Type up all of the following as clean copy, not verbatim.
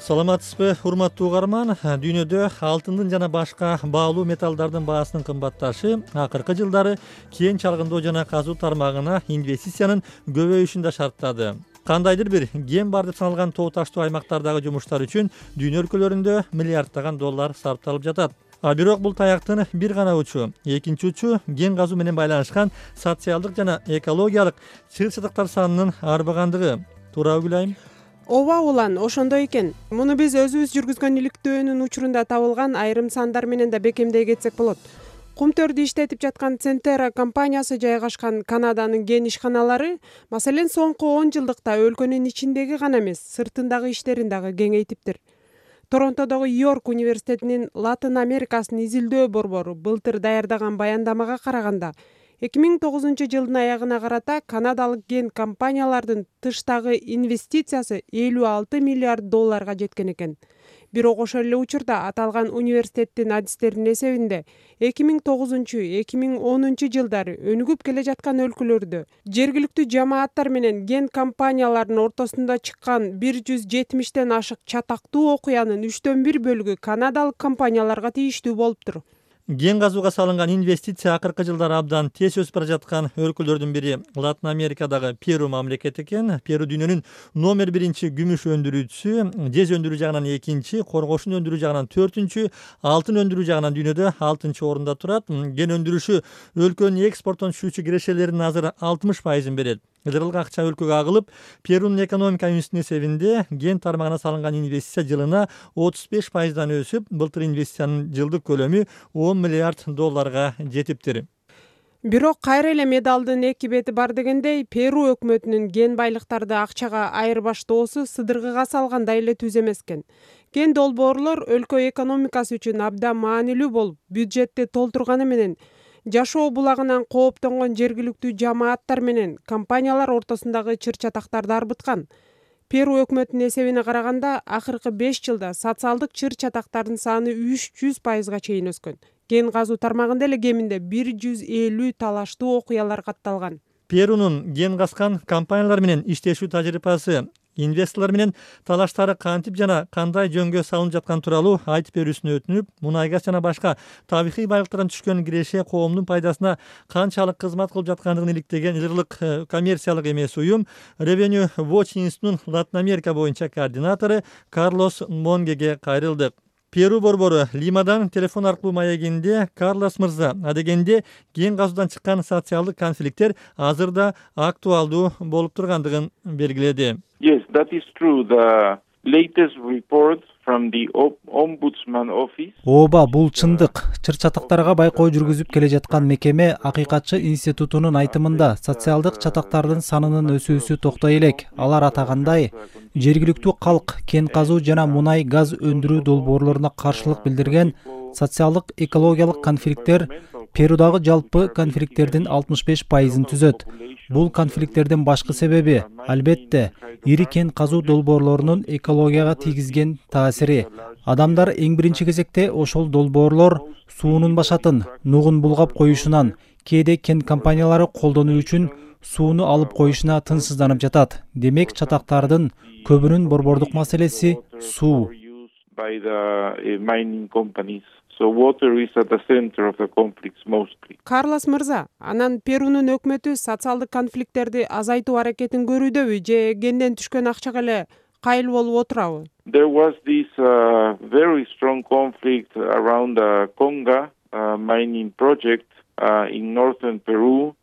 Саламатсызбы, урматтуу угарман. Дүйнөдө алтындын жана башка баалуу металлдардын баасынын кымбатташы акыркы жылдары кен чалгындоо жана казуу тармагына инвестициянын көбөйүшүн да шарттады. Кандайдыр бир кен бар деп саналган тоо таштуу аймактардагы жумуштар үчүн дүйнө өлкөлөрүндө миллиарддаган доллар сарпталып жатат. Бирок бул таяктын бир гана учу. Экинчи учу кен казуу менен байланышкан социалдык жана экологиялык чыр чатактар санынын арбагандыгы. Туурабы Гүлайым? Ооба Улан, ошондой экен. Муну биз өзүбүз жүргүзгөн иликтөөнүн учурунда табылган айрым сандар менен да бекемдей кетсек болот. Кумтөрдү иштетип жаткан Центера компаниясы жайгашкан Канаданын кен ишканалары, маселен, соңку 10 жылдыкта өлкөнүн ичиндеги гана эмес, сыртындагы иштерин дагы кеңейтиптир. Торонтодогу Йорк университетинин Латын Америкасын изилдөө борбору былтыр даярдаган баяндамага караганда, 2009 жылдын аягына карата канадалык кен компаниялардын тыштагы инвестициясы 56 миллиард долларга жеткен экен. Бирок ошол эле учурда аталган университеттин адистеринин эсебинде 2009-2010 жылдары өнүгүп келе жаткан өлкөлөрдө жергиликтүү жамааттар менен кен компанияларынын ортосунда чыккан 170ден ашык чатактуу окуянын 1/3 бөлүгү канадалык компанияларга тийиштүү болуптур. Кен казууга салынган инвестиция акыркы жылдары абдан тез өсүп бара жаткан өлкөлөрдүн бири Латын Америкадагы Перу мамлекети экен. Перу дүйнөнүн номер 1 күмүш өндүрүүчүсү, жез өндүрүү жагынан 2, коргошун өндүрүү жагынан 4, алтын өндүрүү жагынан дүйнөдө 6-орунда турат. Кен өндүрүшү өлкөнүн экспорттон түшүүчү кирешелеринин азыр 60%-ын берет. Ылдырылган акча өлкөгө агылып, Перунун экономика институтунун эсебинде кен тармагына салынган инвестиция жылына 35%дан өсүп, былтыр инвестициянын жылдык көлөмү 10 миллиард долларга жетиптир. Бирок кайра эле медалдын эки бети бар дегендей, Перу өкмөтүнүн кен байлыктарды акчага айырбаштоосу сыдыргыга салгандай эле түз эмес экен. Кен долбоорлор өлкө экономикасы үчүн абдан маанилүү болуп, бюджетти толтурганы менен жашоо булагынан кооптонгон жергиликтүү жамааттар менен компаниялар ортосундагы чыр-чатактарды арбыткан. Перу өкмөтүнүн эсебине караганда, акыркы 5 жылда социалдык чыр-чатактардын саны 300%га чейин өскөн. Кен казуу тармагында эле кеминде 150 талаштуу окуялар катталган. Перунун кен казкан компаниялар менен иштешүү тажрыйбасы, инвесторлор менен талаштары кантип жана кандай жөнгө салынып жаткан тууралуу айтып берүүсүнө өтүнүп, мунай газ жана башка табигый байлыктардан түшкөн киреше коомдун пайдасына канчалык кызмат кылып жаткандыгын иликтеген ылдырлык коммерциялык эмес уюм Revenue Watch институтунун Латын Америка боюнча координатору Карлос Монгеге кайрылдык. Перу борбору Лимадан телефон аркылуу маегинде Карлос мырза, адегенде кен казуудан чыккан социалдык конфликттер азырда актуалдуу болуп тургандыгын белгиледи. Yes, that is true. The latest report from the Ombudsman office. Ооба, бул чындык. Чыр-чатактарга байкоо жүргүзүп келе жаткан мекеме Акыйкатчы институтунун айтымында социалдык чатактардын санынын өсүүсү токтой элек. Алар атагандай, жергиликтүү калк кен казуу жана мунай газ өндүрүү долбоорлоруна каршылык билдирген социалдык экологиялык конфликттер Перудагы жалпы конфликттердин 65%-ын түзөт. Бул конфликттердин башкы себеби, албетте, ири кен казуу долбоорлорунун экологияга тийгизген таасири. Адамдар эң биринчи кезекте ошол долбоорлор суунун башатын, нугун булгап коюшунан, кээде кен компаниялары колдонуу үчүн сууну алып коюшуна тынчсызданып жатат. Демек, чатактардын көбүнүн борбордук маселеси суу. So water is at the center of the conflicts mostly. Карлос мырза, анан Перунун өкмөтү социалдык конфликттерди азайтуу аракетин көрүүдөбү же кенден түшкөн акчага эле кайыл болуп отурабы? There was this very strong conflict around the Conga mining project in northern Peru.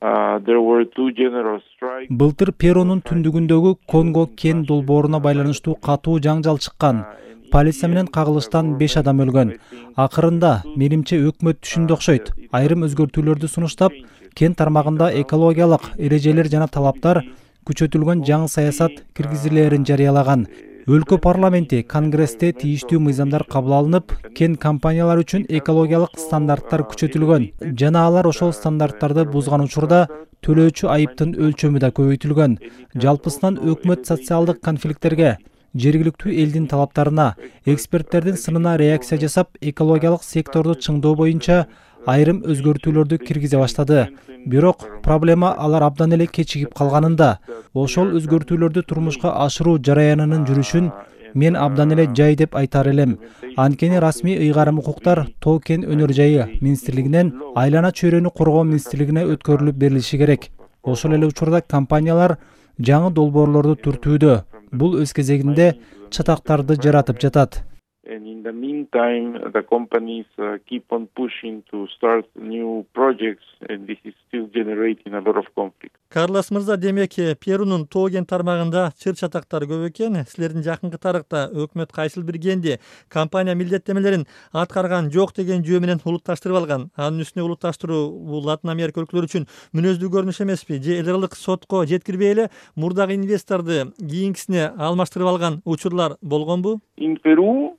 There were two general strikes. Былтыр Перунун түндүгүндөгү Конго кен долбооруна байланыштуу катуу жаңжал чыккан. Полиция менен кагылыштан 5 адам өлгөн. Акырында, менимче өкмөт түшүндү окшойт. Айрым өзгөртүүлөрдү сунуштап, кен тармагында экологиялык эрежелер жана талаптар күчөтүлгөн жаңы саясат киргизилерин жарыялаган. Өлкө парламенти, конгрессте тийиштүү мыйзамдар кабыл алынып, кен компаниялар үчүн экологиялык стандарттар күчөтүлгөн жана алар ошол стандарттарды бузган учурда төлөөчү айыптын өлчөмү да көбөйтүлгөн. Жалпысынан өкмөт социалдык конфликттерге, жергиликтүү элдин талаптарына, эксперттердин сынына реакция жасап, экологиялык секторду чыңдоо боюнча айрым өзгөртүүлөрдү киргизе баштады. Бирок проблема алар абдан эле кечигип калганында. Ошол өзгөртүүлөрдү турмушка ашыруу жараянынын жүрүшүн мен абдан эле жай деп айтар элем. Анткени расмий ыйгарым укуктар Тоо кен өнөр жайы министрлигинен айлана чөйрөнү коргоо министрлигине өткөрүлүп берилиши керек. Ошол эле учурда компаниялар жаңы долбоорлорду түртүүдө. Бул өз кезегинде чатактарды жаратып жатат. And in the meantime, the companies keep on pushing to start new projects, and this is still generating a lot of conflict. Карлос мырза, демек Перунун Тоо кен тармагында чыр чатактар көп экен. Силердин жакынкы тарыхта өкмөт кайсыл бир кенди компания милдеттемелерин аткарган жок деген жөө менен улутташтырып алган. Анын үстүнө улутташтыруу бул Латын Америка өлкөлөрү үчүн мүнөздүү көрүнүш эмеспи? Же эл аралык сотко жеткирбей эле мурдагы инвесторду кийинкисине алмаштырып алган учурлар болгонбу? In Peru,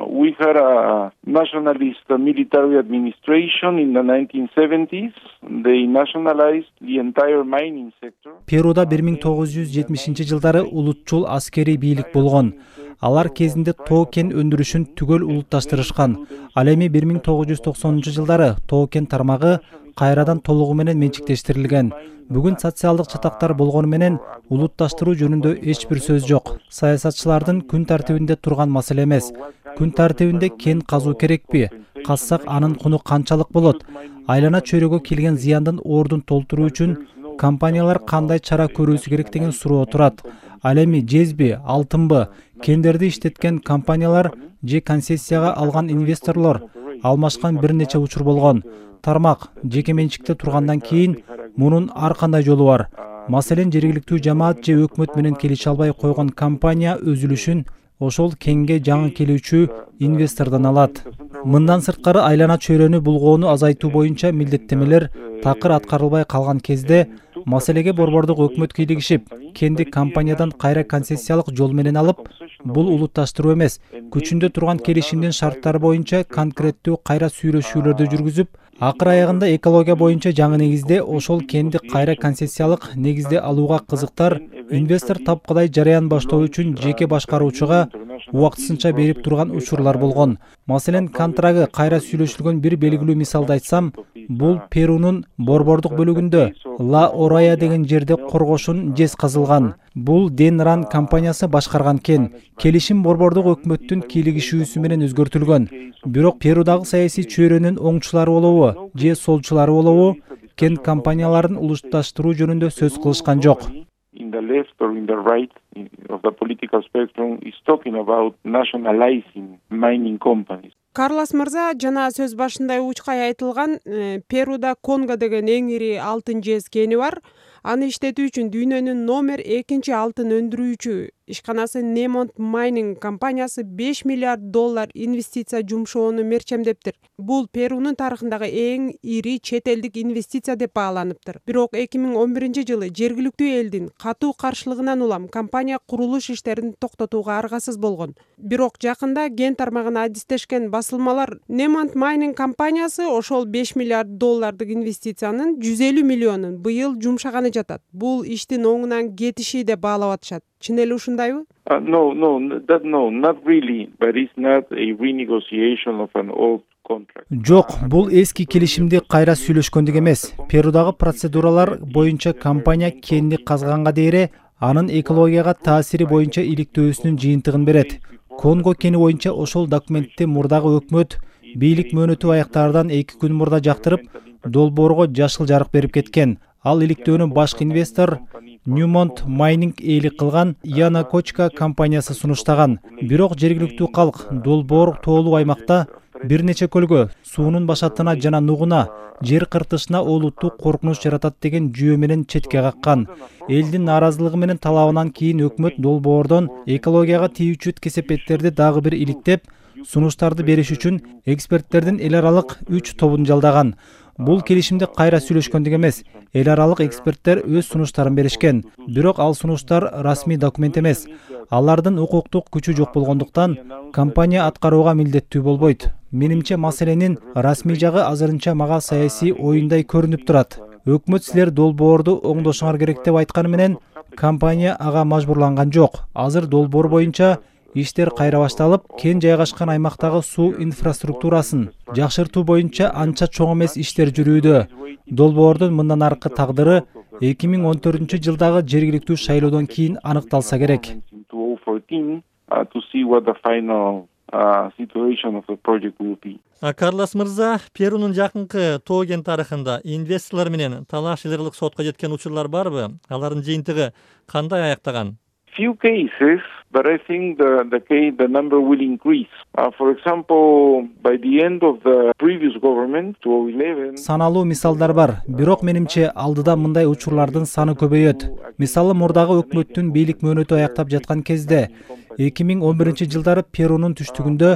we had a nationalist military administration in the 1970s. They nationalized the entire mining sector. Перуда 1970-жылдары улутчул аскерий бийлик болгон. Алар кезинде Тоо кен өндүрүшүн түгөл улутташтырышкан. Ал эми 1990-жылдары Тоо кен тармагы кайрадан толугу менен менчиктештирилген. Бүгүн социалдык чатактар болгону менен улутташтыруу жөнүндө эч бир сөз жок. Саясатчылардын күн тартибинде турган маселе эмес. Күн тартибинде кен казуу керекпи? Казсак анын куну канчалык болот? Айлана чөйрөгө келген зыяндын ордун толтуруу үчүн компаниялар кандай чара көрүүсү керек деген суроо турат. Ал эми жезби, алтынбы, кендерди иштеткен компаниялар же концессияга алган инвесторлор алмашкан бир нече учур болгон. Тармак жеке менчикте тургандан кийин мунун ар кандай жолу бар. Маселен, жергиликтүү жамаат же өкмөт менен келише албай койгон компания өзүлүшүн ошол кенге жаңы келүүчү инвестордон алат. Мындан сырткары айлана чөйрөнү булгоону азайтуу боюнча милдеттемелер такыр аткарылбай калган кезде маселеге борбордук өкмөт кийлигишип, кенди компаниядан кайра концессиялык жол менен алып, бул улутташтыруу эмес, күчүндө турган келишимдин шарттары боюнча конкреттүү кайра сүйлөшүүлөрдү жүргүзүп, акыр аягында экология боюнча жаңы негизде ошол кенди кайра концессиялык негизде алууга кызыктар инвестор тапкыдай жараян баштоо үчүн жеке башкаруучуга убактысынча берип турган учурлар болгон. Маселен, контрагы кайра сүйлөшүлгөн бир белгилүү мисалды айтсам, бул Перунун борбордук бөлүгүндө Ла Орая деген жерде коргошун жез казылган. Бул Денран компаниясы башкарган кен. Келишим борбордук өкмөттүн кийлигишүүсү менен өзгөртүлгөн. Бирок Перудагы саясий чөйрөнүн оңчулары болобу же солчулары болобу, кен компанияларын улутташтыруу жөнүндө сөз кылышкан жок. In the left or in the right of the political spectrum is talking about nationalizing mining companies. Карлос мырза, жана сөз башында учкай айтылган Перуда Конго деген эң ири алтын жез кени бар. Аны иштетүү үчүн дүйнөнүн номер 2 алтын өндүрүүчү ишканасы Немонт Майнинг компаниясы $5 миллиард инвестиция жумшоону мерчемдептир. Бул Перунун тарыхындагы эң ири чет элдик инвестиция деп бааланыптыр. Бирок 2011-жылы жергиликтүү элдин катуу каршылыгынан улам компания курулуш иштерин токтотууга аргасыз болгон. Бирок жакында ген тармагына адистешкен басылмалар Немонт Майнинг компаниясы ошол $5 миллиард инвестициянын 150 миллионун быйыл жумшаганы жатат. Бул иштин оңунан кетиши деп баалап атышат. Чын эле ушундайбы? No, not really, but it's not a renegotiation of an old contract. Жок, бул эски келишимди кайра сүйлөшкөндүк эмес. Перудагы процедуралар боюнча компания кенди казганга дейре анын экологияга таасири боюнча иликтөөсүнүн жыйынтыгын берет. Конго кени боюнча ошол документти мурдагы өкмөт бийлик мөөнөтү аяктаардан 2 күн мурда жактырып, долбоорго жашыл жарык берип кеткен. Ал иликтөөнү башкы инвестор Немонт Майнинг ээлик кылган Яна Кочка компаниясы сунуштаган. Бирок жергиликтүү калк долбоор тоолуу аймакта бир нече көлгө, суунун башатына жана нугуна, жер кыртышына олуттуу коркунуч жаратат деген жүйө менен четке каккан. Элдин нааразылыгы менен талабынан кийин өкмөт долбоордон экологияга тийүүчү кесепеттерди дагы бир иликтеп, сунуштарды бериш үчүн эксперттердин эл аралык 3 тобун жалдаган. Бул келишимди кайра сүйлөшкөндүк эмес. Эл аралык эксперттер өз сунуштарын беришкен. Бирок ал сунуштар расмий документ эмес. Алардын укуктук күчү жок болгондуктан компания аткарууга милдеттүү болбойт. Менимче маселенин расмий жагы азырынча мага саясий оюндай көрүнүп турат. Өкмөт силер долбоорду оңдошуңар керек деп айтканы менен компания ага мажбурланган жок. Азыр долбоор боюнча иштер кайра башталып, кен жайгашкан аймактагы суу инфраструктурасын жакшыртуу боюнча анча чоң эмес иштер жүрүүдө. Долбоордун мындан аркы тагдыры 2014-жылдагы жергиликтүү шайлоодон кийин аныкталса керек. to see what the final situation of the project will be. Карлос мырза, Перунун жакынкы тоо кен тарыхында инвесторлор менен талаш илгерлик сотко жеткен учурлар барбы? Алардын жыйынтыгы кандай аяктаган? Few cases, but I think the number will increase. For example, by the end of the previous government, 2011. Саналуу мисалдар бар, бирок менимче алдыда мындай учурлардын саны көбөйөт. Мисалы мурдагы өкмөттүн бийлик мөөнөтү аяктап жаткан кезде 2011-жылдары Перунун түштүгүндө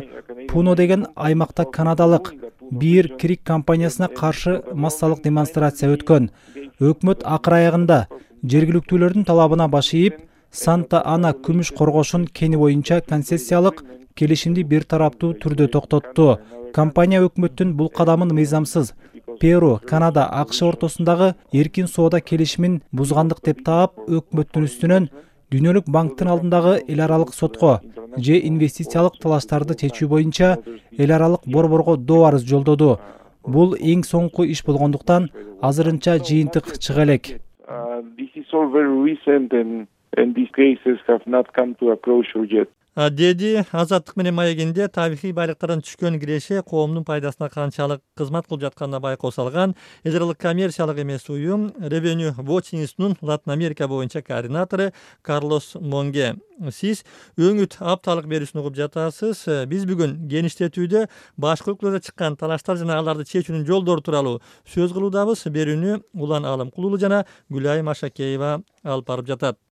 Пуно деген аймакта канадалык Бир Крик компаниясына каршы массалык демонстрация өткөн. Өкмөт акыр аягында жергиликтүүлөрдүн талабына баш ийип, Санта Ана күмүш коргошун кени боюнча концессиялык келишимди бир тараптуу түрдө токтотту. Компания өкмөттүн бул кадамын мыйзамсыз, Перу, Канада, АКШ ортосундагы эркин соода келишимин бузгандык деп таап, өкмөттүн үстүнөн Дүйнөлүк банктын алдындагы эл аралык сотко же инвестициялык талаштарды чечүү боюнча эл аралык борборго доо арыз жолдоду. Бул эң соңку иш болгондуктан азырынча жыйынтык чыга элек. This is all very recent and these cases have not come to a closure yet. Деди Азаттык менен маегинде табигый байлыктардан түшкөн киреше коомдун пайдасына канчалык кызмат кылып жатканына байкоо салган эл аралык коммерциялык эмес уюм Revenue Watch институтунун Латын Америка боюнча координатору Карлос Монге. Сиз өңүт апталык берүүсүн угуп жатасыз. Биз бүгүн кеңиштетүүдө башкы өлкөлөрдө чыккан талаштар жана аларды чечүүнүн жолдору тууралуу сөз кылуудабыз. Берүүнү Улан Алымкулуулу жана Гүлайым Ашакеева алып барып жатат.